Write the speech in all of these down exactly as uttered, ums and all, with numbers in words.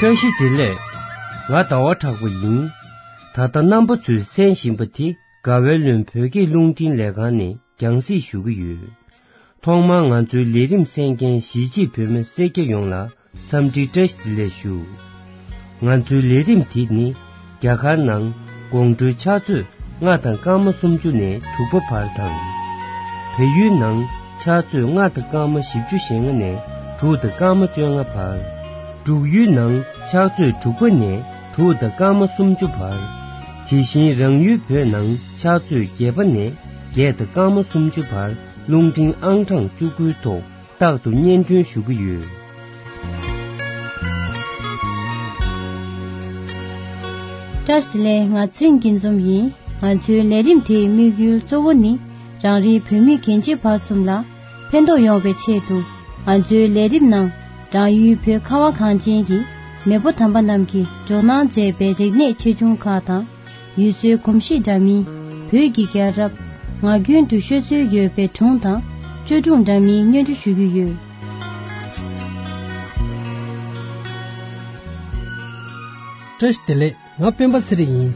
བཀྲ་ཤིས་བདེ་ལེགས། ང་ཟླ་བ་གྲགས་པ་ཡིན། ད་ལྟ་རྣམ་པ་ཚོས་གསན་བཞིན་པ་དེ་དགའ་བའི་ལུང་བོད་སྐད་རླུང་འཕྲིན་ལས་ཁང་ནས་རྒྱང་སྲིང་ཞུ་གི་ཡོད། ཐོག་མར་ང་ཚོའི་ལས་རིམ་གསན་མཁན་གཞིས་བྱེས་བོད་མི་སེར་སྐྱ་ཡོངས་ལ་འཚམས་འདྲི་བཀྲ་ཤིས་བདེ་ལེགས་ཞུ། ང་ཚོའི་ལས་རིམ་དེ་ནི་རྒྱ་གར་ནང་དགོང་དྲོའི་ཕྱག་ཚོད་ལྔ་དང་སྐར་མ་སུམ་ཅུ་ནས་དྲུག་པ་བར་དང་། བལ་ཡུལ་ནང་ཕྱག་ཚོད་ལྔ་དང་སྐར་མ་བཞི་བཅུ་ཞེ་ལྔ་ནས་དྲུག་དང་སྐར་མ་བཅོ་ལྔ་བར། འབྲུག་ཡུལ་ནང་ཕྱག་ཚོད་དྲུག་པ་ནས་དྲུག་དང་སྐར་མ་སུམ་ཅུ་བར། དེ་བཞིན་རང་ཡུལ་བོད་ནང་ཕྱག་ཚོད་བརྒྱད་པ་ནས་བརྒྱད་དང་སྐར་མ་སུམ་ཅུ་བར་རླུང་འཕྲིན་ཨང་གྲངས་བཅུ་དགུའི་ཐོག་རྟག་ཏུ་སྙན་སྒྲོན་ཞུ་གི་ཡོད། བཀྲ་ཤིས་བདེ་ལེགས། ང་ཚེ་རིང་སྐྱིད་འཛོམས་ཡིན། ང་ཚོའི་ལས་རིམ་དེའི་དམིགས་ཡུལ་གཙོ་བོ་ནི་རང་རེའི་བོད་མི་རྒན་བྱིས་བར་གསུམ་ལ་ཕན་ཐོགས་ཡོང་བའི་ཆེད་དུ། ང་ཚོའི་ལས་རིམ་ནང་རང་ཡུལ་བོད་ཁ་བ་གངས་ཅན་གྱི་མེས་པོ་དམ་པ་རྣམས་ཀྱིས་འཇོག་གནང་མཛད་པའི་རིག་གནས་ཆེ་ཆུང་ཁག་དང་། ཡུལ་སྲོལ་གོམས་གཤིས་འདྲ་མིན། བོད་ཀྱི་རྒྱལ་རབས། ངག་རྒྱུན་དུ་ཤོད་སྲོལ་ཡོད་པའི་སྒྲུང་དང་བཅོས་སྒྲུང་འདྲ་མིན་སྙན་སྒྲོན་ཞུ་རྒྱུ་ཡོད། བཀྲ་ཤིས་བདེ་ལེགས། ང་སྤེན་པ་ཚེ་རིང་ཡིན།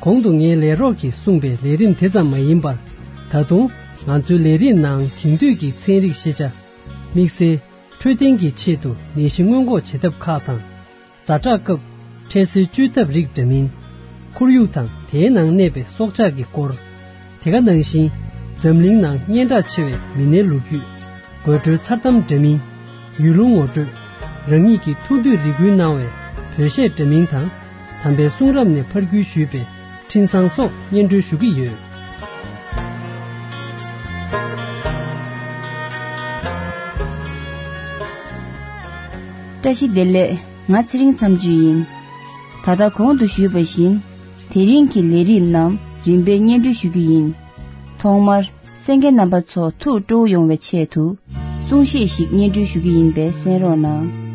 གོང་དུ་ངའི་ལས་རོགས་ཀྱིས་གསུངས་པའི་ལས་རིམ་དེ་ཙམ་མ་ཡིན་པར། ད་དུང་ང་ཚོའི་ལས་རིམ་ནང་དེང་དུས་ཀྱི་ཚན་རིག་ཤེས་བྱ། དམིགས་བསལ་འཕྲོད་བསྟེན་གྱི་ཆེད་དུ་ནད་གཞི་སྔོན་འགོག་བྱེད་ཐབས་ཁག་དང་། ཛ་དྲག་སྐབས་འཕྲལ་སེལ་བཅོས་ཐབས་རིགས་འདྲ་མིན། ཁོར་ཡུག་དང་དེའི་ནང་གནས་པའི་སྲོག་ཆགས་ཀྱི་སྐོར། དེ་ག་ནང་བཞིན་འཛམ་གླིང་ནང་སྙན་གྲགས་ཆེ་བའི་མི་སྣའི་ལོ་རྒྱུས། དགོད་བྲོའི་མཚར་གཏམ་འདྲ་མིན། ཡུལ་ལུང་ངོ་སྤྲོད། རང་ཉིད་ཀྱི་ཐུགས་འདོད་རེ་སྐུལ་གནང་བའི་བོད་གཞས་འདྲ་མིན་དང་། དམ་པའི་གསུང་རབ་ནས་ཕར་བརྒྱུད་ཞུས་པའི་འཕྲིན་བཟང་སོགས་སྙན་སྒྲོན་ཞུ་གི་ཡོད། བཀྲ་ཤིས་བདེ་ལེགས། ང་ཚེ་རིང་མཚམས་གཅོད་ཡིན། ད་ལྟ་གོང་དུ་ཞུས་པ་བཞིན། དེ་རིང་གི་ལས་རིམ་རྣམས་རིམ་པས་སྙན་སྒྲོན་ཞུ་རྒྱུ་ཡིན། ཐོག་མར། གསན་མཁན་རྣམ་པ་ཚོ་ཐུགས་སྤྲོ་བོ་ཡོང་བའི་ཆེད་དུ། གསུང་བཤད་ཞིག་སྙན་སྒྲོན་ཞུ་རྒྱུ་ཡིན་པས་གསན་རོགས་གནང་།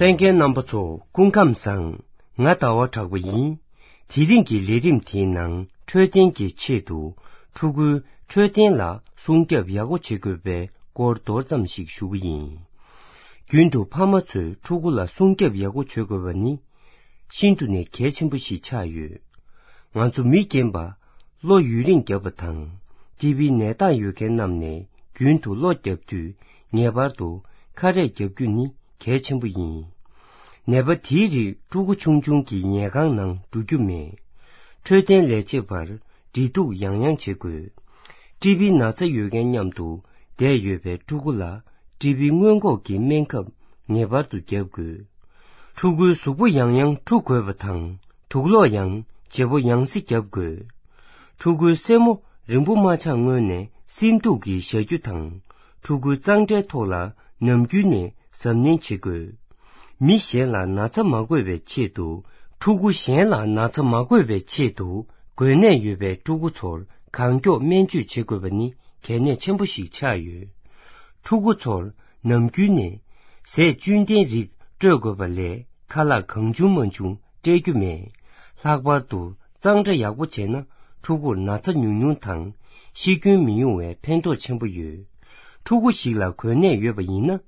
གསན་མཁན་རྣམ་པ་ཚོ་སྐུ་ཁམས་བཟང་། ང་ཟླ་བ་གྲགས་པ་ཡིན། དེ་རིང་གི་ལས་རིམ་དེའི་ནང་འཕྲོད་བསྟེན་གྱི་ཆེད་དུ་ཕྲུ་གུའི་འཕྲོད་བསྟེན་ལ་སྲུང་སྐྱོབ་ཡག་པོ་བྱེད་དགོས་པའི་སྐོར་མདོར་ཙམ་ཞིག་ཞུ་གི་ཡིན། རྒྱུན་དུ་ཕ་མ་ཚོས་ཕྲུ་གུ་ལ་སྲུང་སྐྱོབ་ཡག་པོ་བྱེད་དགོས་པ་ནི་ཤིན་ཏུ་ནས་གལ་ཆེན་པོ་ཞིག་ཆགས་ཡོད། ང་ཚོ་མི་རྒན་པ་གློ་ཡུན་རིང་བརྒྱབ་པ་དང་ཊི་བི་ནད་རྟགས་ཡོད་མཁན་རྣམས་ནས་རྒྱུན་དུ་གློ་བརྒྱབ་དུས་ངེས་པར་དུ་ཁ་རས་བརྒྱབ་རྒྱུ་ནི་གལ་ཆེན་པོ་ཡིན། ནད་པ་དེའི་རིགས་ཕྲུ་གུ་ཆུང་ཆུང་གི་ཉལ་ཁང་ནང་འགྲོ་རྒྱུ་མེད། འཕྲོད་བསྟེན་ལས་བྱེད་པར་འབྲེལ་གཏུག་ཡང་ཡང་བྱེད་དགོས། ཊི་བི་ན་ཚ་ཡོད་མཁན་མཉམ་དུ་བསྡད་ཡོད་པའི་ཕྲུ་གུ་ལ་ཊི་བི་སྔོན་འགོག་གི་སྨན་ཁབ་ངེས་པར་དུ་བརྒྱབ་དགོས། ཕྲུ་གུའི་གཟུགས་པོ་ཡང་ཡང་འཁྲུ་དགོས་པ་དང་དུག་སློག་ཡང་བརྗེ་པོ་ཡང་སེ་བརྒྱབ་དགོས། ཕྲུ་གུའི་སེན་མོ་རིང་པོ་མ་ཆགས་སྔོན་ནས་སིམ་འདུག་གིས་བཞག་རྒྱུ་དང་། ཕྲུ་གུའི་གཙང་སྦྲའི་ཐོག་ལ་ནམ་རྒྱུན་ནས་གཟབ་ནན་བྱེད་དགོས། མི་གཞན་ལ་ན་ཚ་མ་འགོས་པའི་ཆེད་དུ། ཕྲུ་གུ་གཞན་ལ་ན་ཚ་མ་འགོས་པའི་ཆེད་དུ་འགོས་ནད་ཡོད་པའི་ཕྲུ་གུ་ཚོར་གང་མགྱོགས་སྨན་བཅོས་བྱེད་དགོས་པ་ནི་གལ་གནད་ཆེན་པོ་ཞིག་ཆགས་ཡོད། ཕྲུ་གུ་ཚོར་ནམ་རྒྱུན་ནས་ཟས་བཅུད་ལྡན་རིགས་སྤྲོད་དགོས་པ་ལས་ཁ་ལག་གང་བྱུང་མང་བྱུང་སྤྲད་རྒྱུ་མེད། ལྷག་པར་དུ་གཙང་སྦྲ་ཡག་པོ་བྱས་ན་ཕྲུ་གུར་ན་ཚ་ཉུང་ཉུང་དང་ཤི་སྐྱོན་མི་ཡོང་བའི་ཕན་ཐོགས་ཆེན་པོ་ཡོད། ཕྲུ་གུ་ཞིག་ལ་འགོས་ནད་ཡོད་པ་ཡིན་ན།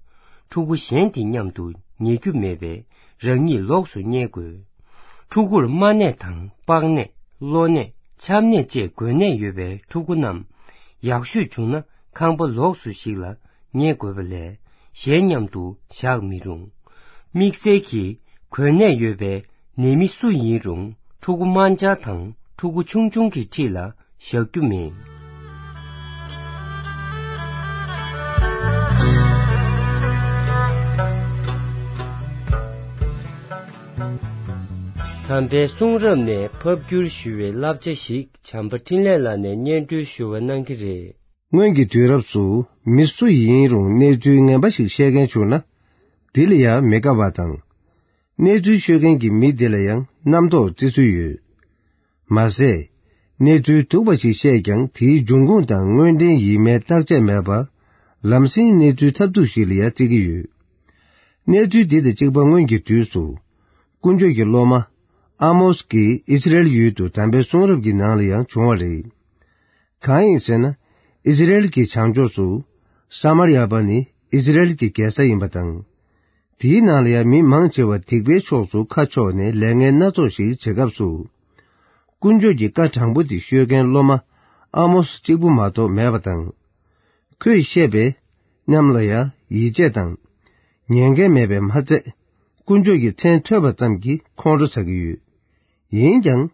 ཕྲུ་གུ་གཞན་དེ་མཉམ་དུ་ཉལ་རྒྱུ་མེད་པས་རང་ཉིད་ལོགས་སུ་བསྙལ་དགོས། ཕྲུ་གུར་རྨ་ནད་དང་པགས་ནད། གློ་ནད། ཆམ་ནད་བཅས་འགོས་ནད་ཡོད་པའི་ཕྲུ་གུ་རྣམས་ཡག་ཤོས་བྱུང་ན་ཁང་པ་ལོགས་སུ་ཞིག་ལ་བསྙལ་དགོས་པ་ལས་གཞན་མཉམ་དུ་བཞག་མི་རུང་། དམིགས་བསལ་གྱིས་འགོས་ནད་ཡོད་པའི་ནད་མི་སུ་ཡིན་རུང་ཕྲུ་གུ་དམར་འབྱར་དང་ཕྲུ་གུ་ཆུང་ཆུང་གི་འཁྲིས་ལ་བཞག་རྒྱུ་མེད། དམ་པའི་གསུང་རབ་ནས་ཕབ་བསྒྱུར་ཞུ་བའི་བསླབ་བྱ་ཞིག་བྱམས་པ་འཕྲིན་ལས་ལགས་ནས་སྙན་སྒྲོན་ཞུ་བ་གནང་གི་རེད། སྔོན་གྱི་དུས་རབས་སུ་མི་སུ་ཡིན་རུང་གནས་ཚུལ་ངན་པ་ཞིག་བཤད་མཁན་བྱུང་ན། དེ་ལ་ཡང་མི་དགའ་བ་དང་། གནས་ཚུལ་ཤོད་མཁན་གྱི་མི་དེ་ལ་ཡང་རྣམ་རྟོག་བརྩི་སྲོལ་ཡོད། མ་ཟད། གནས་ཚུལ་སྡུག་པ་ཞིག་བཤད་ཀྱང་དེའི་འབྱུང་ཁུངས་དང་དངོས་འབྲེལ་ཡིན་མིན་བརྟག་དཔྱད་མེད་པར། ལམ་སེང་གནས་ཚུལ་ཐབས་སྡུག་ཞིག་ལ་ཡང་བརྩི་གི་ཡོད། གནས་ཚུལ་འདི་དང་གཅིག་པ་སྔོན་གྱི་དུས་སུ། དཀོན་མཆོག་གི་སློབ་མ། ཨ་མོས་ཀྱིས་ཨི་སི་རེལ་ཡུལ་དུ་དམ་པའི་གསུང་རབ་ཀྱི་ནང་ལ་ཡང་བྱུང་བ་རེད། གང་ཡིན་ཟེར་ན། ཨི་སི་རེལ་གྱི་བྱང་ཕྱོགས་སུ། ས་མར་ཡ་པ་ནི་ཨི་སི་རེལ་གྱི་རྒྱལ་ས་ཡིན་པ་དང་། དེའི་ནང་ལ་ཡང་མི་མང་ཆེ་བ་སྡིག་པའི་ཕྱོགས་སུ་ཁ་ཕྱོགས་ནས་ལས་ངན་སྣ་ཚོགས་ཤིག་བྱེད་སྐབས་སུ། དཀོན་མཆོག་གི་བཀའ་དྲང་པོ་དེ་ཤོད་མཁན་སློབ་མ་ཨ་མོས་གཅིག་པུ་མ་གཏོགས་མེད་པ་དང་། ཁོས་བཤད་པའི་རྣམས་ལ་ཡང་ཡིད་ཆེས་དང་། ཉན་མཁན་མེད་པས་མ་ཚད། དཀོན་མཆོག་གི་མཚན་ཐོས་པ་ཙམ་གྱིས་ཁོང་ཁྲོ་ཚ་གི་ཡོད། ཡིན་ཀྱང་།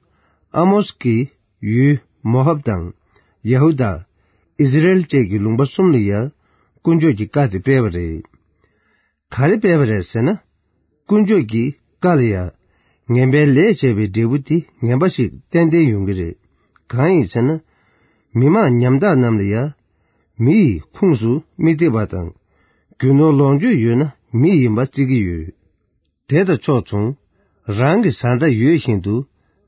ཨ་མོས་ཀྱིས་ཡུལ་མོ་ཧབ་དང་། ཡ་ཧུ་དཱ། ཨི་སི་རེལ་བཅས་ཀྱི་ལུང་པ་གསུམ་ལ་ཡང་། དཀོན་མཆོག་གི་བཀའ་དེ་སྤེལ་བ་རེད། ག་རེ་སྤེལ་བ་རེད་ཟེར་ན། དཀོན་མཆོག་གི་བཀའ་ལ་ཡང་། ངན་པའི་ལས་བྱས་པའི་འབྲས་བུ་དེ་ངན་པ་ཞིག་ཏན་ཏན་ཡོང་གི་རེད། གང་ཡིན་ཟེར་ན། མི་མང་ཉམ་ཐག་རྣམས་ལ་ཡང་། མི་ཡི་ཁུངས་སུ་མི་བརྩི་བ་དང་། རྒྱུ་ནོར་ལོངས་སྤྱོད་ཡོད་ན་མི་ཡིན་པ་བརྩི་གི་ཡོད། དེ་དང་ཕྱོགས་མཚུངས། རང་གི་བཟའ་ཟླ་ཡོད་བཞིན་དུ་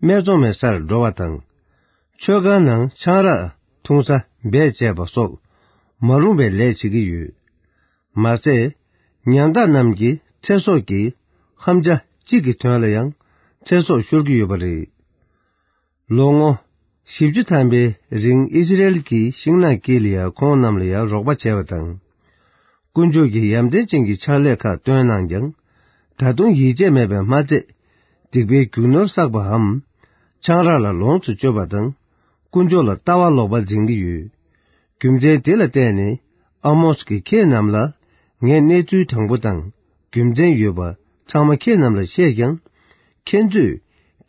སྨད་འཚོང་མའི་སར་འགྲོ་བ་དང་། མཆོད་ཁང་ནང་ཆང་རག་འཐུང་ས་བེད་སྤྱད་པ་སོགས་མ་རུང་བའི་ལས་བྱེད་ཀྱི་ཡོད། མ་ཟད། ཉམ་ཐག་རྣམས་ཀྱི་ཚེ་སྲོག་གི་ཧམ་བཅའ་གཅིག་གི་དོན་ལ་ཡང་ཚེ་སྲོག་ཤོར་གྱི་ཡོད་པ་རེད། ལོ་ངོ་བཞི་བཅུ་ཐམ་པའི་རིང་ཨི་སི་རེལ་གྱི་ཤིང་ནགས་དཀྱིལ་ལ་ཡང་ཁོང་རྣམས་ལ་ཡང་རོགས་པ་བྱས་པ་དང་། དཀོན་མཆོག་གིས་ཡ་མཚན་ཅན་གྱི་ཕྱག་ལས་ཁག་སྟོན་གནང་ཀྱང་། ད་དུང་ཡིད་ཆེས་མེད་པས་མ་ཚད། སྡིག་པའི་རྒྱུ་ནོར་བསགས་པའམ། ཆང་རག་ལ་ལོངས་སུ་སྤྱོད་པ་དང་། དཀོན་མཆོག་ལ་ལྟ་བ་ལོག་པ་འཛིན་གྱི་ཡོད། རྒྱུ་མཚན་དེ་ལ་བརྟེན་ནས། ཨ་མོས་ཀྱིས་ཁྱེད་རྣམས་ལ། ངས་གནས་ཚུལ་དྲང་པོ་དང་། རྒྱུ་མཚན་ཡོད་པ་ཚང་མ་ཁྱེད་རྣམས་ལ་བཤད་ཀྱང་། ཁྱེད་ཚོས་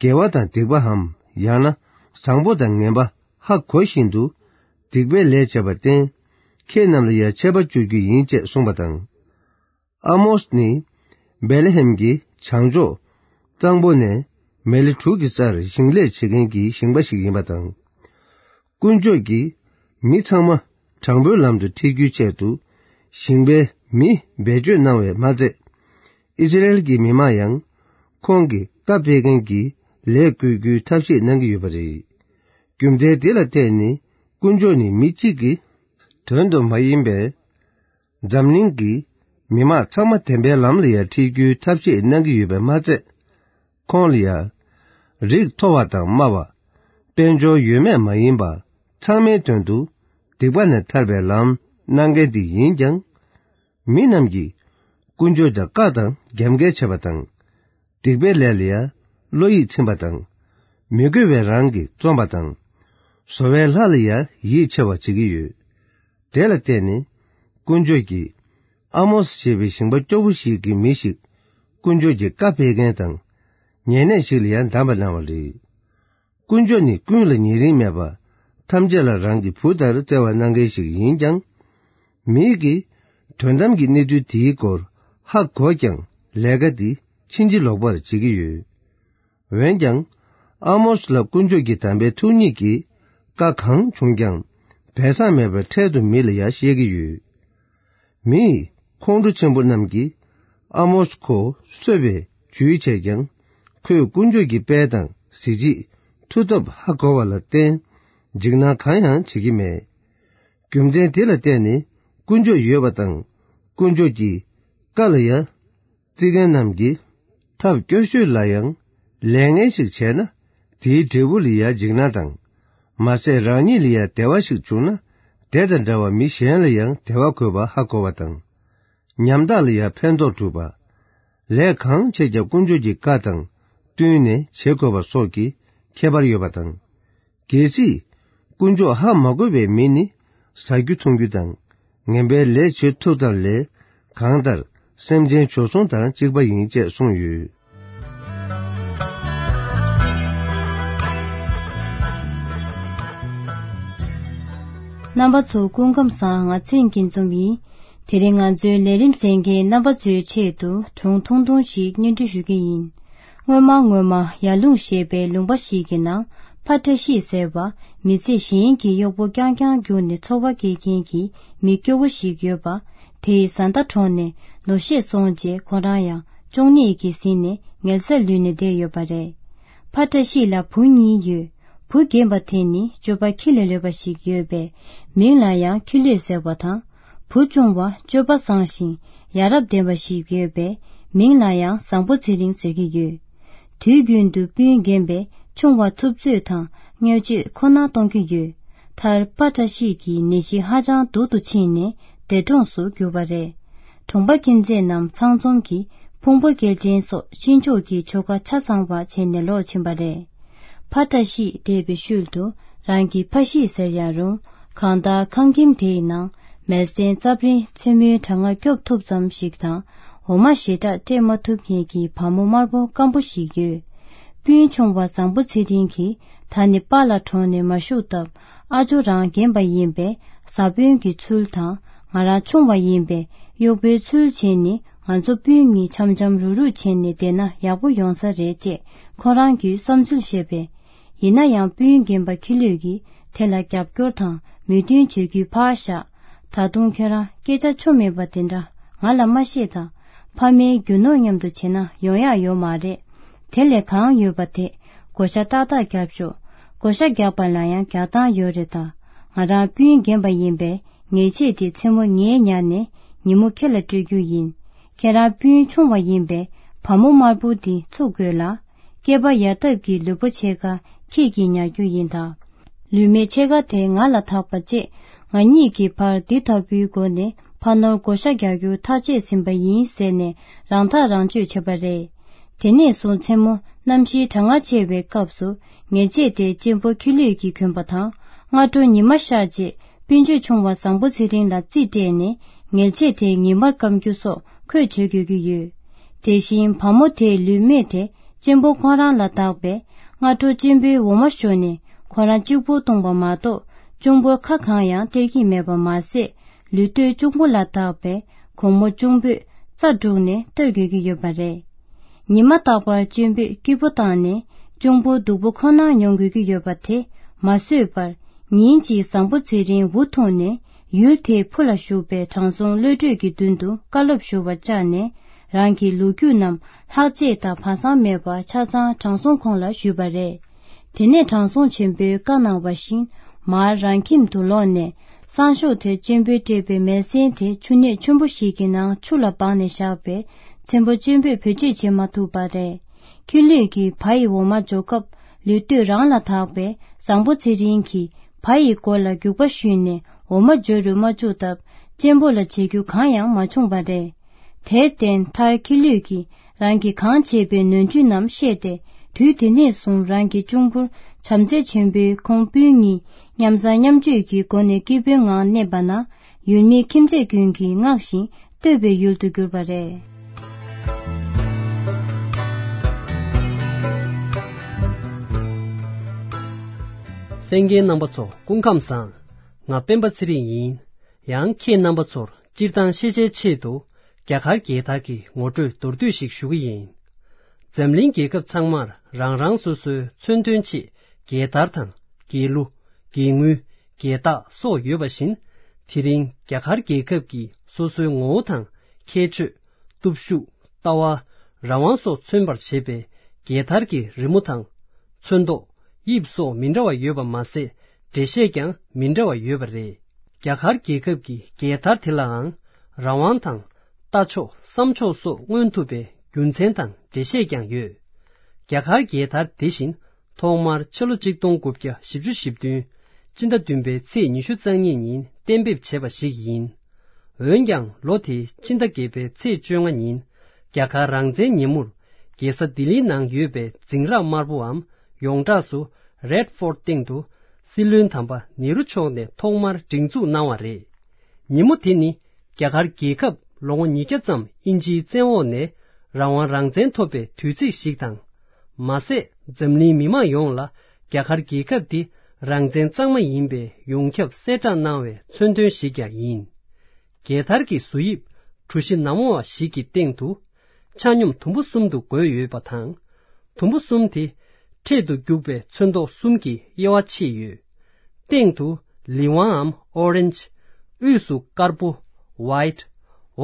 དགེ་བ་དང་སྡིག་པའམ། ཡང་ན་བཟང་པོ་དང་ངན་པ་ཧ་གོ་བཞིན་དུ། སྡིག་པའི་ལས་བྱས་པར་བརྟེན། ཁྱེད་རྣམས་ལ་ཡང་ཆད་པ་གཅོད་རྒྱུ་ཡིན་ཅེས་གསུངས་པ་དང་། ཨ་མོས་ནི། བེ་ལེ་ཧེམ་གྱི་བྱང་ཕྱོགས། གཙང་པོ་ནས། མེ་ལེ་དྲུག་གི་སར་ཞིང་ལས་བྱེད་མཁན་གྱི་ཞིང་པ་ཞིག་ཡིན་པ་དང་། དཀོན་མཆོག་གིས། མི་ཚང་མ། དྲང་པོའི་ལམ་དུ་ཁྲིད་རྒྱུའི་ཆེད་དུ། ཞིང་པའི་མི་བེད་སྤྱོད་གནང་བས་མ་ཚད། ཨི་སི་རེལ་གྱི་མི་མང་ཡང་། ཁོང་གིས་བཀའ་སྤེལ་མཁན་གྱི། ལས་བཀོལ་རྒྱུའི་ཐབས་ཤེས་གནང་གི་ཡོད་པ་རེད། རྒྱུ་མཚན་དེ་ལ་བརྟེན་ནས། དཀོན་མཆོག་ནི་མི་གཅིག་གི། དོན་དུ་མ་ཡིན་པའི། འཛམ་གླིང་གི་མི་མང་ཚང་མ་བདེན་པའི་ལམ་ལ་ཡང་ཁྲིད་རྒྱུའི་ཐབས་ཤེས་གནང་གི་ཡོད་པས་མ་ཚད། ཁོང་ལ་ཡང་། རིགས་མཐོ་བ་དང་དམའ་བ། དཔལ་འབྱོར་ཡོད་མེད་མ་ཡིན་པ། ཚང་མའི་དོན་དུ། སྡིག་པ་ནས་ཐར་པའི་ལམ་གནང་མཁན་དེ་ཡིན་ཀྱང་། མི་རྣམས་ཀྱིས། དཀོན་མཆོག་དང་བཀའ་དང་རྒྱབ་འགལ་བྱས་པ་དང་། སྡིག་པའི་ལས་ལ་ཡང་བློ་ཡིད་ཚིམ་པ་དང་། མི་དགེ་བའི་རང་གིས་རྩོམ་པ་དང་། བཟོ་བའི་ལྷ་ལ་ཡང་ཡིད་ཆེས་པ་བྱེད་ཀྱི་ཡོད། དེ་ལ་བརྟེན་ནས། དཀོན་མཆོག་གིས། ཨ་མོས་ཞེས་པའི་ཞིང་པ་སྐྱོ་པོ་ཞིག་གི་མི་ཞིག་དཀོན་མཆོག་གི་བཀའ་སྤེལ་མཁན་དང་། ཉེ་གནས་ཤིག་ལ་ཡང་བདམས་པ་གནང་བ་རེད། དཀོན་མཆོག་ནི་ཀུན་ལ་ཉེ་རིང་མེད་པ། ཐམས་ཅད་ལ་རང་གི་བུ་ལྟར་བརྩེ་བ་གནང་མཁན་ཞིག་ཡིན་ཀྱང་། མིག་གིས། དོན་དམ་གྱི་གནས་ཚུལ་དེའི་སྐོར་ཧ་གོ་ཀྱང་། ལས་ཀ་འདི་ཕྱིན་ཅི་ལོག་པར་བྱེད་ཀྱི་ཡོད། འོན་ཀྱང་། ཨ་མོས་ལ་དཀོན་མཆོག་གི་དམ་པའི་ཐུགས་ཉིད་ཀྱིས། བཀའ་གང་བྱུང་ཀྱང་། སྦས་གསང་མེད་པར་འཕྲལ་དུ་མི་ལ་ཡང་བཤད་ཀྱི་ཡོད། མིས། ཁོང་ཁྲོ་ཆེན་པོ་རྣམས་ཀྱིས། ཨ་མོས་ཁོ་གསོད་པའི་ཇུས་བྱས་ཀྱང་། ཁོས་དཀོན་མཆོག་གི་དཔལ་དང་གཟི་བརྗིད། མཐུ་སྟོབས་ཧ་གོ་བ་ལ་བརྟེན། འཇིགས་སྣང་གང་ཡང་བྱེད་ཀྱི་མེད། རྒྱུ་མཚན་དེ་ལ་བརྟེན་ནས། དཀོན་མཆོག་ཡོད་པ་དང་། དཀོན་མཆོག་གི་བཀའ་ལ་ཡང་། བརྩི་མཁན་རྣམས་ཀྱིས། ཐབས་སྐྱོ་ཤོས་ལ་ཡང་། ལས་ངན་ཞིག་བྱས་ན། དེའི་འབྲས་བུ་ལ་ཡང་འཇིགས་སྣང་དང་། མ་ཟད་རང་ཉིད་ལ་ཡང་བདེ་བ་ཞིག་བྱུང་ན། དེ་དང་འདྲ་བ་མི་གཞན་ལ་ཡང་བདེ་བ་དགོས་པ་ཧ་གོ་བ་དང་། ཉམ་ཐག་ལ་ཡང་ཕན་ཐོགས་སྒྲུབ་པ། ལས་གང་བྱས་ཀྱང་དཀོན་མཆོག་གི་བཀའ་དང་བསྟུན་ནས་བྱེད་དགོས་པ་སོགས་ཀྱི་ཁྱད་པར་ཡོད་པ་དང་། གལ་སྲིད། དཀོན་མཆོག་ཧ་མ་གོ་བའི་མི་ནི། ཟ་རྒྱུ་འཐུང་རྒྱུ་དང་། ངན་པའི་ལས་བྱེད་ཐུབ་ཙམ་ལས། གང་ལྟར། སེམས་ཅན་བྱོལ་སོང་དང་གཅིག་པ་ཡིན་ཅེས་གསུངས་ཡོད། རྣམ་པ་ཚོ་སྐུ་ཁམས་བཟང་། ང་ཚེ་རིང་སྐྱིད་འཛོམས་ཡིན། དེ་རིང་ང་ཚོའི་ལས་རིམ་གསན་མཁན་རྣམ་པ་ཚོའི་ཆེད་དུ་སྒྲུང་ཐུང་ཐུང་ཞིག་སྙན་སྒྲོན་ཞུ་གི་ཡིན། སྔོན་མ་སྔོན་མ་ཡར་ཀླུང་ཞེས་པའི་ལུང་པ་ཞིག་གི་ནང་ཕ་བཀྲ་ཤིས་ཟེར་བ་མི་ཚེ་གཞན་གྱི་གཡོག་པོ་རྐྱང་རྐྱང་བརྒྱུགས་ནས་འཚོ་བ་སྐྱེལ་མཁན་གྱི་མི་སྐྱོ་བོ་ཞིག་ཡོད་པ། དེ་ཡི་བཟའ་ཟླ་གྲོངས་ནས་ལོ་ཤས་སོང་རྗེས་ཁོ་རང་ཡང་གཅོང་ནད་ཀྱིས་ཟིན་ནས་ངལ་སེལ་ལུས་ནས་བསྡད་ཡོད་པ་རེད། ཕ་བཀྲ་ཤིས་ལ་བུ་གཉིས་ཡོད། བུ་རྒན་པ་དེ་ནི་སྤྱོད་པ་ཁྱི་ལས་ལོད་པ་ཞིག་ཡོད་པས་མིང་ལ་ཡང་ཁྱི་ལོད་ཟེར་བ་དང་། བུ་ཆུང་བ་སྤྱོད་པ་བཟང་ཞིང་ཡ་རབས་ལྡན་པ་ཞིག་ཡོད་པས་མིང་ལ་ཡང་བཟང་པོ་ཚེ་རིང་ཟེར་གྱི་ཡོད། དུས་རྒྱུན་དུ་སྤུན་རྒན་པས་ཆུང་བ་ཐུབ་ཚོད་དང་བརྙས་བཅོས་ཁོ་ན་གཏོང་གི་ཡོད། མཐར་ཕ་བཀྲ་ཤིས་ཀྱི་ནད་གཞི་ཧ་ཅང་སྡུག་ཏུ་ཕྱིན་ནས་འདས་གྲོངས་སུ་གྱུར་པ་རེད། གྲོང་པ་ཁྱིམ་མཚེས་རྣམས་ཚང་འཛོམས་ཀྱིས་ཕུང་པོ་སྐྱེལ་འདྲེན་སོགས་གཤིན་ཆོག་གི་ཆོ་ག་ཆ་ཚང་བ་བྱས་ནས་ལོག་ཕྱིན་པ་རེད། ཕ་བཀྲ་ཤིས་འདས་པའི་ཤུལ་དུ་རང་གི་ཕ་གཞིས་ཟེར་ཡང་རུང་གང་ལྟར་ཁང་ཁྱིམ་དེའི་ནང་མལ་སྟན་རྩབ་རིང་མཚན་མོའི་གྲང་ངར་སྐྱོབ་ཐུབ་ཙམ་ཞིག་དང་འོ་མ་ཞེ་དྲག་སྤྲད་མ་ཐུབ་མཁན་གྱི་བ་མོ་དམར་པོ་སྐམ་པོ་ཞིག་ཡོད། སྤུན་ཆུང་བ་བཟང་པོ་ཚེ་རིང་གིས་ད་ནི་པཱ་ལགས་གྲོངས་ནས་མ་བཞུགས་སྟབས་ཨ་ཇོ་རང་རྒན་པ་ཡིན་པས་བཟའ་དཔོན་གྱི་ཚུལ་དང་ང་རང་ཆུང་བ་ཡིན་པས་གཡོག་པོའི་ཚུལ་བྱས་ནས་ང་ཚོ་སྤུན་གཉིས་འཆམ་འཆམ་རུག་རུག་བྱས་ནས་བསྡད་ན་ཡག་པོ་ཡོང་ས་རེད་ཅེས་ཁོ་རང་གིས་བསམ་ཚུལ་བཤད་པས། ཡིན་ན་ཡང་སྤུན་རྒན་པ་ཁྱི་ལོད་ཀྱིས་དེ་ལ་རྒྱབ་སྐྱོར་དང་མོས་མཐུན་བྱེད་རྒྱུ་ཕར་བཞག་ད་དུང་ཁྱོད་རང་སྐད་ཆ་ཆོ་མེད་པ་དེ་འདྲ་ང་ལ་མ་བཤད་དང་། ཕ་མའི་རྒྱུ་ནོར་མཉམ་དུ་བྱེད་ན་ཡོང་ཡག་ཡོད་མ་རེད། དེ་ལས་གང་ཡོད་པ་དེ་བགོ་བཤའ་ཏག་ཏག་རྒྱབ་ཤོག་བགོ་བཤའ་རྒྱག་པ་ལ་ཡང་རྒྱག་སྟངས་ཡོད་རེད་ད། ང་རང་སྤུན་རྒན་པ་ཡིན་པས་ཉེས་ཆད་དེ་མཚན་མོ་ངས་ཉར་ནས་ཉིན་མོ་ཁྱེད་ལ་སྤྲོད་རྒྱུ་ཡིན། ཁྱེད་རང་སྤུན་ཆུང་བ་ཡིན་པས་བ་མོ་དམར་པོ་འདི་ཚུགས་དགོས་ལ། སྐེད་པ་ཡར་འཐབ་ཀྱི་ལུས་པོ་ཕྱེད་ཀ་ཁྱེད་ཀྱིས་ཉར་རྒྱུ་ཡིན་ད། ལུས་མེད་ཕྱེད་ཀ་དེ་ང་ལ་ཐག་པ་བཅད། ང་གཉིས་ཀྱི་བར་འདི་ལྟ་བུའི་སྒོ་ནས་ཕ་ ཁ་ནོར་བགོ་བཤའ་རྒྱག་རྒྱུ་ཐག་བཅད་ཟིན་པ་ཡིན་ཟེར་ནས་རང་ཐག་རང་གཅོད་བྱས་པ་རེད། དེ་ནས་བཟུང་མཚན་མོ་གནམ་གཤིས་གྲང་ངར་ཆེ་བའི་སྐབས་སུ་ཉལ་ཆས་དེ་གཅེན་པོ་ཁྱི་ལུད་ཀྱིས་གྱོན་པ་དང་། སྔ་དྲོ་ཉི་མ་ཤར་རྗེས་སྤུན་མཆེད་ཆུང་བ་བཟང་པོ་ཚེ་རིང་ལ་རྩིས་སྤྲད་ནས་ཉལ་ཆས་དེ་ངེས་པར་སྐམ་རྒྱུ་སོགས་ཁོས་བྱེད་དགོས་ཀྱི་ཡོད། དེ་བཞིན་བ་མོ་དེའི་ལུས་སྨད་དེ་གཅེན་པོ་ཁོ་རང་ལ་བདག་པས། སྔ་དྲོ་གཅེན་པོའི་འོ་མ་བཞོ་ནས་ཁོ་རང་གཅིག་པུ་བཏུང་བ་མ་གཏོགས་གཅུང་པོར་ཁ་གང་ཡང་སྟེར་གྱི་མེད་པ་མ་ཟད། ལུས་སྟོད་གཅུང་པོ་ལ་བདག་པས། དགོང་མོ་གཅུང་པོས་རྩྭ་བསྒྲུགས་ནས་གཏོར་དགོས་ཀྱི་ཡོད་པ་རེད། ཉི་མ་རྟག་པར་གཅེན་པོས་སྐྱིད་པོ་བཏང་ནས་གཅུང་པོ་སྡུག་པོ་ཁོ་ན་མྱོང་དགོས་ཀྱི་ཡོད་པ་དེ་མ་བཟོད་པར། ཉིན་གཅིག་བཟང་པོ་ཚེ་རིང་འུ་ཐུག་ནས་ཡུལ་དེའི་ཕུ་ལ་བཞུགས་པའི་དྲང་སྲོང་བློ་གྲོས་ཀྱི་མདུན་དུ་བཀའ་སློབ་ཞུ་བར་བཅར་ནས། རང་གི་ལོ་རྒྱུས་རྣམས་ལྷག་བཅས་དང་སྦ་གསང་མེད་པར་ཆ་ཚང་དྲང་སྲོང་ཁོང་ལ་ཞུས་པ་རེད། དེ་ནས་དྲང་སྲོང་ཆེན་པོས་བཀའ་གནང་བ་བཞིན་མར་རང་ཁྱིམ་དུ་ལོག་ནས། སང་ཞོགས་དེར་གཅེན་པོས་སྤྲད་པའི་མལ་སྲན་དེ་ཆུ་སྣོད་ཆེན་པོ་ཞིག་གི་ནང་ཆུ་ལ་སྦངས་ནས་བཞག་པས། མཚན་པོ་གཅེན་པོས་བེད་སྤྱོད་བྱེད་མ་ཐུབ་པ་རེད། ཁྱི་ལུད་ཀྱིས་བ་ཡི་འོ་མ་འཇོག་སྐབས་ལུས་སྟོད་རང་ལ་བདག་པས། བཟང་པོ་ཚེ་རིང་གིས་བ་ཡི་མགོ་ལ་རྒྱུག་པ་གཞུས་ནས་འོ་མ་འཇོ་རུ་མ་བཅུག་སྟབས། གཅེན་པོ་ལ་བྱེད་རྒྱུ་གང་ཡང་མ་བྱུང་བ་རེད། དེར་བརྟེན་མཐར་ཁྱི་ལུད་ཀྱིས་རང་གིས་གང་བྱས་པའི་ནོར་འཁྲུལ་རྣམས་ཤེས་ཏེ། དུས་དེ་ནས་བཟུང་རང་གི་གཅུང་པོར་བྱམས་བརྩེ་ཆེན་པོས་ཁོང་སྤུན་གཉིས་མཉམ་བཟའ་མཉམ་སྤྱོད་ཀྱི་སྒོ་ནས་སྐྱིད་པོའི་ངང་གནས་པ་ན། ཡུལ་མི་ཁྱིམ་མཚེས་ཀུན་གྱིས་བསྔགས་ཤིང་བསྟོད་པའི་ཡུལ་དུ་གྱུར་པ་རེད། གསན་མཁན་རྣམ་པ་ཚོ་སྐུ་ཁམས་བཟང་། ང་སྤེན་པ་ཚེ་རིང་ཡིན། ཡང་ཁྱེད་རྣམ་པ་ཚོར་སྤྱིར་བཏང་ཤེས་བྱའི་ཆེད་དུ་རྒྱ་གར་རྒྱལ་དར་གྱི་ངོ་སྤྲོད་མདོར་བསྡུས་ཤིག་ཞུ་གི་ཡིན། འཛམ་གླིང་རྒྱལ་ཁབ་ཚང་མར་རང་རང་སོ་སོའི་མཚོན་དོན་ཆེད་རྒྱལ་དར་དང་རྒྱལ་གླུ། རྒྱལ་དངུལ། རྒྱལ་རྟགས་སོགས་ཡོད་པ་བཞིན། དེ་རིང་རྒྱ་གར་རྒྱལ་ཁབ་ཀྱི་སོ་སོའི་ངོ་བོ་དང་ཁྱད་ཆོས། སྟོབས་ཤུགས། ལྟ་བ། རང་དབང་སོགས་མཚོན་པར་བྱེད་པའི་རྒྱལ་དར་གྱི་རི་མོ་དང་། ཚོན་མདོག། དབྱིབས་སོགས་མི་འདྲ་བ་ཡོད་པ་མ་ཟད། འགྲེལ་བཤད་ཀྱང་མི་འདྲ་བ་ཡོད་པ་རེད། རྒྱ་གར་རྒྱལ་ཁབ་ཀྱི་རྒྱལ་དར་དེ་ལའང་རང་དབང་དང་། ལྟ་ཕྱོགས་བསམ་ཕྱོགས་སོགས་མངོན་ཐུབ་པའི་རྒྱུ་མཚན་དང་འགྲེལ་བཤད་ཀྱང་ཡོད། རྒྱ་གར་རྒྱལ་དར་དེ་བཞིན་ཐོག་མར་ཕྱི་ལོ་གཅིག་སྟོང་དགུ་བརྒྱ་བཞི་བཅུ་ཞེ་བདུན་སྤྱི་ཟླ་བདུན་པའི་ཚེས་ཉི་ཤུ་རྩ་གཉིས་ཉིན་གཏན་འབེབས་བྱས་པ་ཞིག་ཡིན། འོན་ཀྱང་ལོ་དེའི་ཕྱི་ཟླ་བརྒྱད་པའི་ཚེས་བཅོ་ལྔ་ཉིན་རྒྱ་གར་རང་བཙན་ཉིན་མོར་རྒྱལ་ས་ལྡི་ལིའི་ནང་ཡོད་པའི་འཛིང་རགས་དམར་པོའམ་ཡོངས་གྲགས་སུ་Red Fort་སྟེང་དུ་སྲིད་བློན་དམ་པ་ནེ་རུ་མཆོག་ནས་ཐོག་མར་སྒྲེང་འཛུགས་གནང་བ་རེད། ཉིན་མོ་དེ་ནི་རྒྱ་གར་རྒྱལ་ཁབ་ལོ་ངོ་ཉིས་བརྒྱ་ཙམ་དབྱིན་ཇིའི་བཙན་འོག་ནས་རང་དབང་རང་བཙན་ཐོབ་པའི་དུས་ཚིགས་ཤིག་དང་། མ་ཟད་འཛམ་གླིང་མི་མང་ཡོངས་ལ་རྒྱ་གར་རྒྱལ་ཁབ་འདི་རང་བཙན་གཙང་མ་ཡིན་པའི་ཡོངས་ཁྱབ་གསལ་བསྒྲགས་གནང་བའི་མཚོན་དོན་ཞིག་ཀྱང་ཡིན། རྒྱལ་དར་གྱི་བཟོ་དབྱིབས་གྲུ་བཞི་ནར་མོ་བ་ཞིག་གི་སྟེང་དུ་ཆ་སྙོམས་དུམ་བུ་གསུམ་དུ་བགོས་ཡོད་པ་དང་། དུམ་བུ་གསུམ་དེ་འཕྲེད་དུ་རྒྱུག་པའི་ཚོན་མདོག་གསུམ་གྱི་དབྱེ་བ་ཕྱེས་ཡོད། སྟེང་དུ་ལི་ཝང་འམ་ཨོ་རེན་ཇི། དབུས་སུ་དཀར་པོ་ཝའི་ཊི།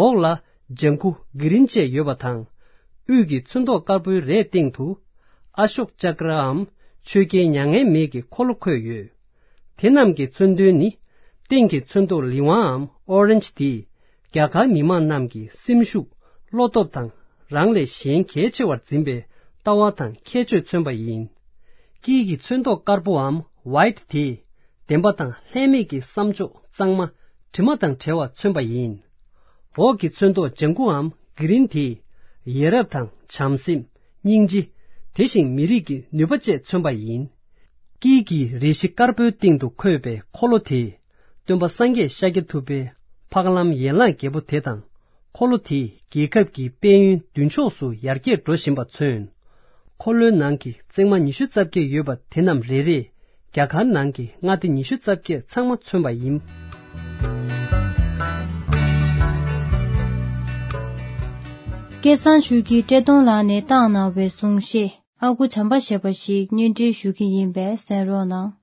འོག་ལ་ལྗང་ཁུ་གྷི་རིན་བཅས་ཡོད་པ་དང་། དབུས་ཀྱི་ཚོན་མདོག་དཀར་པོའི་རས་སྟེང་དུ་ཨ་ཤོག་ཅཀ་ར་འམ་ཆོས་རྒྱལ་མྱ་ངན་མེད་ཀྱི་འཁོར་ལོ་འཁོད་ཡོད། དེ་རྣམས་ཀྱི་མཚོན་དོན་ནི། སྟེང་གི་ཚོན་མདོག་ལི་ཝང་འམ་ཨོ་རེན་ཇི་དེས་རྒྱ་གར་མི་དམངས་རྣམས་ཀྱི་སེམས་ཤུགས། བློ་སྟོབས་དང་རང་ལས་གཞན་གལ་ཆེ་བར་འཛིན་པའི་ལྟ་བ་དང་ཁྱད་ཆོས་མཚོན་པ་ཡིན། དཀྱིལ་གྱི་ཚོན་མདོག་དཀར་པོའམ་ཝའི་ཊི་དེས་བདེན་པ་དང་ལྷད་མེད་ཀྱི་བསམ་ཕྱོགས་གཙང་མ་དྲི་མ་དང་བྲལ་བ་མཚོན་པ་ཡིན། འོག་གི་ཚོན་མདོག་ལྗང་ཁུའམ་གྷི་རིན་དེས་ཡ་རབས་དང་བྱམས་སེམས། སྙིང་རྗེ། དེ་བཞིན་མི་རིགས་ཀྱི་ནུས་པ་བཅས་མཚོན་པ་ཡིན། དཀྱིལ་གྱི་རས་གཞི་དཀར་པོའི་སྟེང་དུ་འཁོད་པའི་འཁོར་ལོ་དེས། སྟོན་པ་སངས་རྒྱས་ཤཱཀྱ་ཐུབ་པའི་འཕགས་ལམ་ཡན་ལག་བརྒྱད་པོ་དེ་དང་། འཁོར་ལོ་དེས་རྒྱལ་ཁབ་ཀྱི་དཔལ་ཡོན་མདུན་ཕྱོགས་སུ་ཡར་རྒྱས་འགྲོ་བཞིན་པ་མཚོན། འཁོར་ལོའི་ནང་གི་བརྩེགས་མ་ཉི་ཤུ་རྩ་བརྒྱད་ཡོད་པ་དེ་རྣམས་རེ་རེས་རྒྱ་གར་ནང་གི་མངའ་སྡེ་ཉི་ཤུ་རྩ་བརྒྱད་ཚང་མ་མཚོན་པ་ཡིན། སྐལ་བཟང་ཆོས་སྐྱིད་བཀྲས་མཐོང་ལགས་ནས་བཏང་གནང་བའི་གསུང་བཤད། ཨ་ཁུ་བྱམས་པ་ཞེས་པ་ཞིག་སྙན་སྒྲོན་ཞུ་གི་ཡིན་པས་གསན་རོགས་གནང་།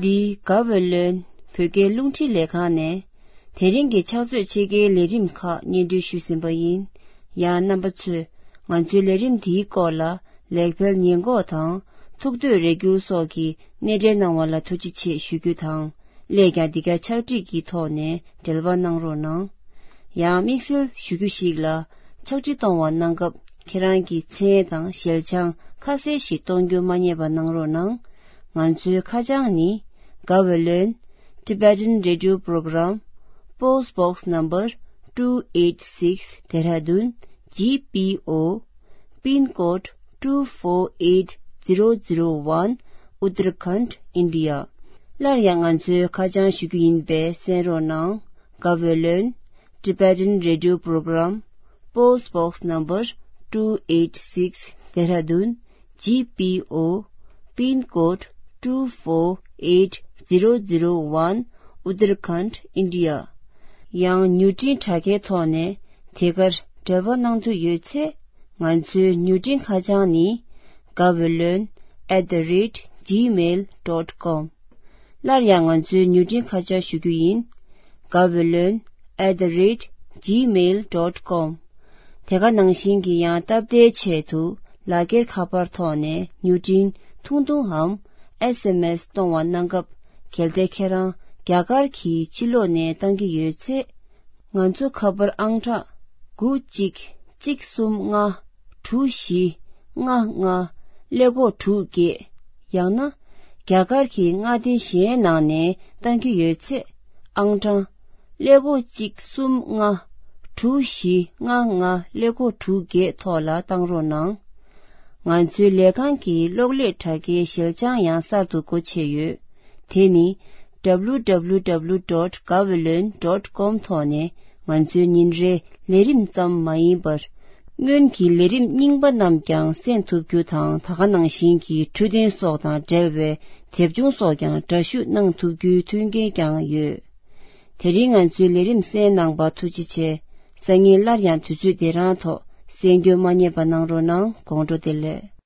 འདི་ག་བོད་ལོན་བོད་སྐད་རླུང་འཕྲིན་ལས་ཁང་ནས་དེ་རིང་གི་ཕྱག་ཚོད་ཕྱེད་ཀའི་ལས་རིམ་ཁག་སྙན་སྒྲོན་ཞུས་ཟིན་པ་ཡིན། ཡང་རྣམ་པ་ཚོས་ང་ཚོའི་ལས་རིམ་འདིའི་སྐོར་ལ་ལེགས་སྤེལ་ཉེས་འགོག་དང་ཐུགས་འདོད་རེ་སྐུལ་སོགས་ཀྱི་སྣེ་འདྲེན་གནང་བ་ལ་ཐུགས་རྗེ་ཆེ་ཞུ་རྒྱུ་དང་། སླད་ཀྱང་འདི་ག་ཕྱག་བྲིས་ཀྱི་ཐོག་ནས་འབྲེལ་བ་གནང་རོགས་གནང་། ཡང་དམིགས་བསལ་ཞུ་རྒྱུ་ཞིག་ལ། ཕྱག་བྲིས་གཏོང་བ་གནང་སྐབས་ཁྱེད་རང་གི་མཚན་དང་ཞལ་བྱང་ཁ་གསལ་ཞིག་གཏོང་རྒྱུ་མ་བསྙེལ་བ་གནང་རོགས་གནང་། ང་ཚོའི་ཁ་བྱང་ནི། Gaweylon Tibetan Radio Program, Post Box Number two eight six, Dehradun G P O, Pin Code two four eight zero zero one, Uttarakhand, India. སླར་ཡང་ང་ཚོའི་ཁ་བྱང་ཞུ་རྒྱུ་ཡིན་པས་གསན་རོགས་གནང་། Gaweylon Tibetan Radio Program, Post Box Number two eight six, Dehradun G P O, Pin Code two four eight zero zero one, Uttarakhand, India. ཡང་མྱུར་འཕྲིན་དྲ་རྒྱའི་ཐོག་ནས་དེ་གར་འབྲེལ་བ་གནང་འདོད་ཡོད་ཚེ། ང་ཚོའི་མྱུར་འཕྲིན་ཁ་བྱང་ནི། Gaweylon at the rate gmail dot com། སླར་ཡང་ང་ཚོའི་མྱུར་འཕྲིན་ཁ་བྱང་ཞུ་རྒྱུ་ཡིན། Gaweylon at the rate gmail dot com། དེ་ག་ནང་བཞིན་གྱི་ཡང་སྟབས་བདེའི་ཆེད་དུ་ལག་འཁྱེར་ཁ་པར་ཐོག་ནས་མྱུར་འཕྲིན་ཐུང་ཐུང་འམ་S M S གཏོང་བ་གནང་སྐབས། གལ་ཏེ་ཁྱེད་རང་རྒྱ་གར་གྱི་ཕྱི་ལོགས་ནས་བཏང་གི་ཡོད་ཚེ། ང་ཚོ་ཁ་པར་ཨང་གྲངས་དགུ་གཅིག་གཅིག་གསུམ་ལྔ་དྲུག་བཞི་ལྔ་ལྔ་ཀླད་ཀོར་དྲུག་བརྒྱད། ཡང་ན་རྒྱ་གར་གྱི་མངའ་སྡེ་གཞན་ནང་ནས་བཏང་གི་ཡོད་ཚེ། ཨང་གྲངས་ཀླད་ཀོར་གཅིག་གསུམ་ལྔ་དྲུག་བཞི་ལྔ་ལྔ་ཀླད་ཀོར་དྲུག་བརྒྱད་ཐོག་ལ་བཏང་རོགས་གནང་། ང་ཚོའི་ལས་ཁང་གི་གློག་ཀླད་དྲ་རྒྱའི་ཞལ་བྱང་ཡང་གསར་དུ་སྒོ་ཕྱེ་ཡོད། དེ་ནི་W W W dot gaweylon dot com ཐོག་ནས་ང་ཚོའི་ཉིན་རེའི་ལས་རིམ་ཙམ་མ་ཡིན་པར། སྔོན་གྱི་ལས་རིམ་རྙིང་པ་རྣམས་ཀྱང་གསན་ཐུབ་རྒྱུ་དང་། ད་ག་ནང་བཞིན་གྱི་འཕྲོད་བསྟེན་སོགས་དང་འབྲེལ་བའི་དེབ་ཆུང་སོགས་ཀྱང་འདྲ་བཤུས་གནང་ཐུབ་རྒྱུའི་མཐུན་རྐྱེན་ཀྱང་ཡོད། དེ་རིང་ང་ཚོའི་ལས་རིམ་གསན་གནང་བར་ཐུགས་རྗེ་ཆེ། སང་ཉིན་སླར་ཡང་དུས་ཚོད་འདི་རང་ཐོག་གསན་རྒྱུ་མ་བསྙེལ་བ་གནང་རོགས་གནང་། དགོང་དྲོ་བདེ་ལེགས།